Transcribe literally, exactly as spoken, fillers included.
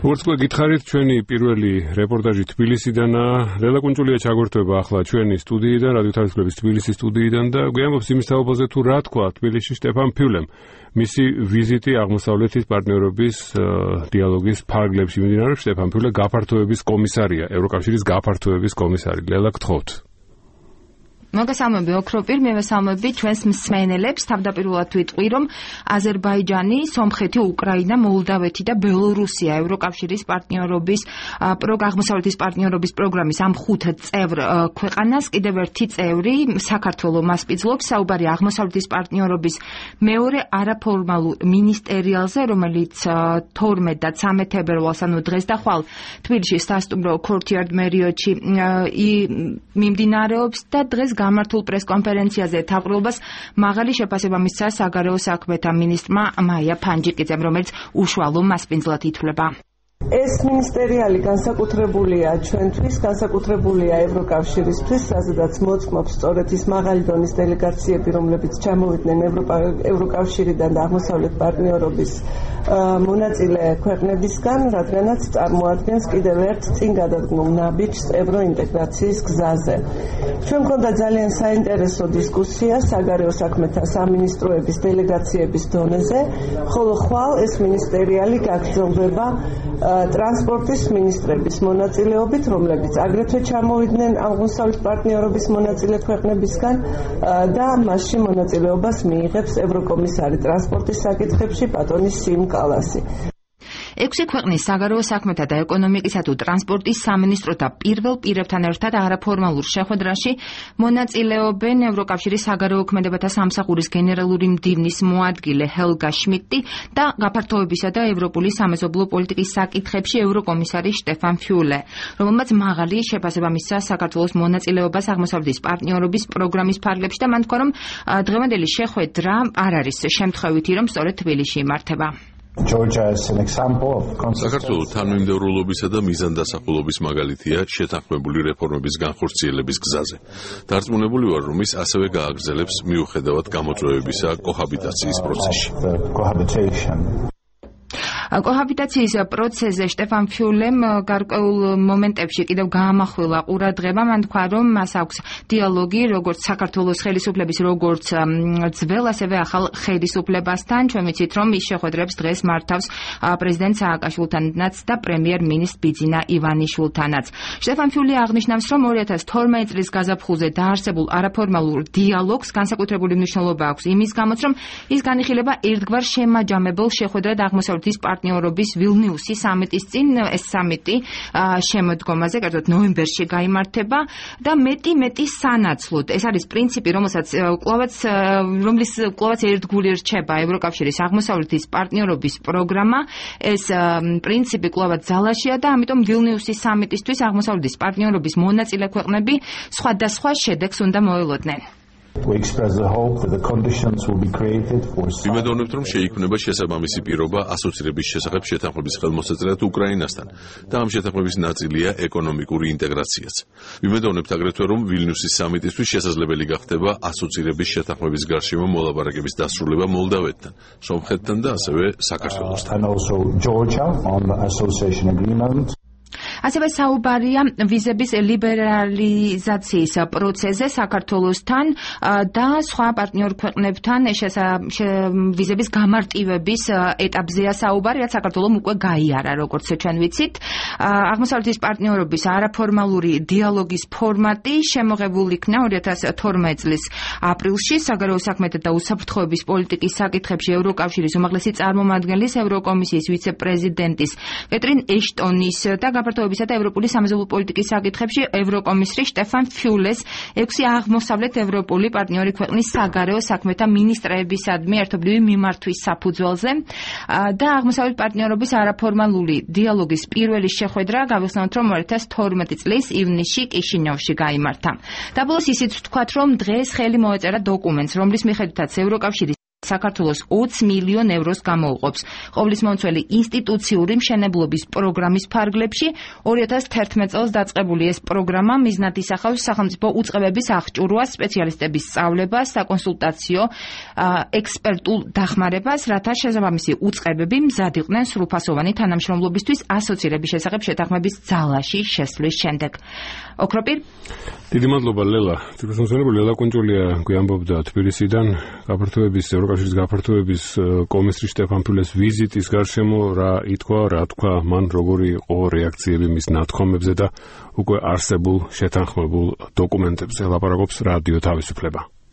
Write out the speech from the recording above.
Როგორც გითხარით, ჩვენი პირველი რეპორტაჟი თბილისიდანაა. ლელა კუნჭულია ჩაგორთვება ახლა ჩვენი სტუდიიდან, რადიო თავისუფლების თბილისის სტუდიიდან და გვიამბობს იმის თაობაზე თუ რა თქვა თბილისში შტეფან ფიულემ. მისი ვიზიტი აღმოსავლეთის პარტნიორობის დიალოგის ფარგლებში მიმდინარეობს. შტეფან ფიულე გაფართოების კომისარია, ევროკავშირის გაფართოების კომისარი. ლელა, გთხოვთ. მოგესალმები ოქროპირ, მივესალმები ჩვენს მსმენელებს. თავდაპირველად ვიტყვი, რომ აზერბაიჯანი, სომხეთი, უკრაინა, მოლდავეთი და ბელორუსია ევროკავშირის პარტნიორობის აღმოსავლეთის პარტნიორობის პროგრამის ამ ხუთ წევრ ქვეყანას კიდევ ერთი წევრი საქართველო მასპინძლობს. საუბარი აღმოსავლეთის პარტნიორობის მეორე არაფორმალურ მინისტერიალზე, რომელიც თორმეტ და ცამეტ თებერვალს, ანუ დღეს და ხვალ თბილისში სასტუმრო ქორთიარდ მერიოტში მიმდინარეობს და დღეს გამართულ პრესკონფერენციაზე თავყრილობას მაღალი შეფასება მისცა საგარეო საქმეთა მინისტრმა მაია ფანჯიკიძემ, რომელიც უშუალო მასპინძლად ითვლება. ეს მინისტერიალი განსაკუთრებულია ჩვენთვის, განსაკუთრებულია ევროკავშირისთვის, სადაც მოწმობს სწორედ ის მაღალი დონის დელეგაციები, რომლებიც ჩამოვიდნენ ევროკავშირიდან და აღმოსავლეთ პარტნიორობის მონაწილე ქვეყნებისგან, რადგანაც წარმოადგენს კიდევ ერთ წინ გადადგმულ ნაბიჯს ევროინტეგრაციის გზაზე. ჩვენ მქონდა ძალიან საინტერესო დისკუსია საგარეო საქმეთა სამინისტროების დელეგაციების დონეზე, ხოლო ხვალ ეს მინისტერიალი გაგრძელდება ტრანსპორტის მინისტრების მონაწილეობით, რომლებიც აგრეთვე ჩამოვიდნენ აღმოსავლეთ პარტნიორობის მონაწილე ქვეყნებისგან და მასში მონაწილეობას მიიღებს ევროკომისარი ტრანსპორტის საკითხებში პატონი სიმ კალასი. ექვსი ქვეყნის საგარეო საქმეთა და ეკონომიკისა თუ ტრანსპორტის სამინისტროთა პირველ პირებთან ერთად არაფორმალურ შეხვედრაში მონაწილეობენ ევროკავშირის საგარეო ქმედებათა სამსახურის გენერალური მდივნის მოადგილე ჰელგა შმიდტი და გაფართოებისა და ევროპული სამეზობლო პოლიტიკის საკითხებში ევროკომისარი შტეფან ფიულე, რომელმაც მაღალი შეფასება მისცა საქართველოს მონაწილეობას აღმოსავლეთის პარტნიორობის პროგრამის ფარგლებში და მან თქვა, რომ დღევანდელი შეხვედრა არ არის შემთხვევითი, რომ სწორედ თბილისში იმართება. საქართველოს თანმიმდევრულობისა და მიზანდასახულობის მაგალითია შეთანხმებული რეფორმების განხორციელების გზაზე. დარწმუნებული ვარ, რომ ის ასევე გააგრძელებს მიუხედავად გამოწვევებისა კოჰაბიტაციის პროცესში. კოჰაბიტაციის პროცესზე შტეფან ფიულემ გარკვეულ მომენტებში კიდევ გაამახვილა ყურადღება. მან თქვა, რომ მას აქვს დიალოგი როგორც საქართველოს ხელისუფლების, როგორც ძველ, ასევე ახალ ხელისუფლებასთან. ჩვენ ვიცით, რომ ის შეხვედრებს დღეს მართავს პრეზიდენტ სააკაშვილთანაც და პრემიერ-მინისტრ ბიძინა ივანიშვილთანაც. შტეფან ფიულე აღნიშნავს, რომ ორი ათას თორმეტი წლის გაზაფხულზე დაარსებულ არაფორმალურ დიალოგს განსაკუთრებული მნიშვნელობა აქვს იმის გამოც, რომ ის განიხილება ერთგვარ შემაჯამებელ შეხვედრად აღმოსავლეთის პარტნიორობის ვილნიუსის სამიტის წინ. ეს სამიტი შემოდგომაზე, კერძოდ ნოემბერში გაიმართება და მეტი მეტი სანაცვლოდ. ეს არის პრინციპი, რომელსაც კვლავაც რომლის კვლავაც ერთგული რჩება ევროკავშირის აღმოსავლეთის პარტნიორობის პროგრამა. ეს პრინციპი კვლავაც ძალაშია და ამიტომ ვილნიუსის სამიტისთვის აღმოსავლეთის პარტნიორობის მონაწილე ქვეყნები სხვადასხვა შედეგს უნდა მოელოდნენ. ვიმედოვნებთ, რომ შეიქმნება შესაბამისი პირობა ასოცირების შესახებ შეთანხმების ხელმოსაწერად უკრაინასთან და ამ შეთანხმების ნაწილია ეკონომიკური ინტეგრაციაც. ვიმედოვნებთ აგრეთვე, რომ ვილნიუსის სამიტისთვის შესაძლებელი გახდება ასოცირების შეთანხმების გარშემო მოლაპარაკების დასრულება მოლდავეთთან, სომხეთთან და ასევე საქართველოსთან. ასევე საუბარია ვიზების ლიბერალიზაციის პროცესზე საქართველოსთან და სხვა პარტნიორ ქვეყნებთან ვიზების გამარტივების ეტაპზეა საუბარი, რაც საქართველოს უკვე გაიარა, როგორც ჩვენ ვიცით. აღმოსავლეთის პარტნიორობის არაფორმალური დიალოგის ფორმატი შემოღებული იქნა ორი ათას თორმეტი წლის აპრილში საგარეო საქმეთა და უსაფრთხოების პოლიტიკის საკითხებში ევროკავშირის უმაღლესი წარმომადგენლის ევროკომისიის ვიცე-პრეზიდენტის კეტრინ ეშტონის და გაფართოებისა და ევროპული სამეზობლო პოლიტიკის საკითხებში ევროკომისრის შტეფან ფიულეს ექვსი აღმოსავლეთ ევროპული პარტნიორი ქვეყნის საგარეო საქმეთა მინისტრებისადმი ერთობლივი მიმართვის საფუძველზე და აღმოსავლეთ პარტნიორობის არაფორმალური დიალოგის პირველი შეხვედრა გავიხსენოთ, რომ ორი ათას თორმეტი წლის ივნისში კიშინიოვში გაიმართა. და ბოლოს ისიც ვთქვათ, რომ დღეს ხელი მოეწერა დოკუმენტს, რომლის მიხედვითაც ევროკავშირის საქართველოს ოცი მილიონ ევროს გამოუყოფს. ყოვლის მომცველი ინსტიტუციური მშენებლობის პროგრამის ფარგლებში ორი ათას თერთმეტ წელს დაწყებული ეს პროგრამა მიზნად ისახავს სახელმწიფო უწყებების აღჭურვას, სპეციალისტების სწავლებას, საკონსულტაციო ექსპერტულ დახმარებას, რათა შესაბამისი უწყებები მზად იყვნენ სრულფასოვანი თანამშრომლობისთვის ასოცირების შესახებ შეთანხმების ძალაში შესვლის შემდეგ. ოქროპირ. დიდი მადლობა ლელა. თვითმსახურებული ლელა კუნჭულია გვიამბობდა თბილისიდან გაფართოების ევროკავშირის გაფართოების კომისრის შტეფან ფიულეს ვიზიტის გარშემო რა ითქვა, რა თქვა მან, როგორი იყო რეაქციები მის ნათქვამებზე და უკვე არსებულ შეთანხმებულ დოკუმენტებზე ლაპარაკობს რადიო თავისუფლება.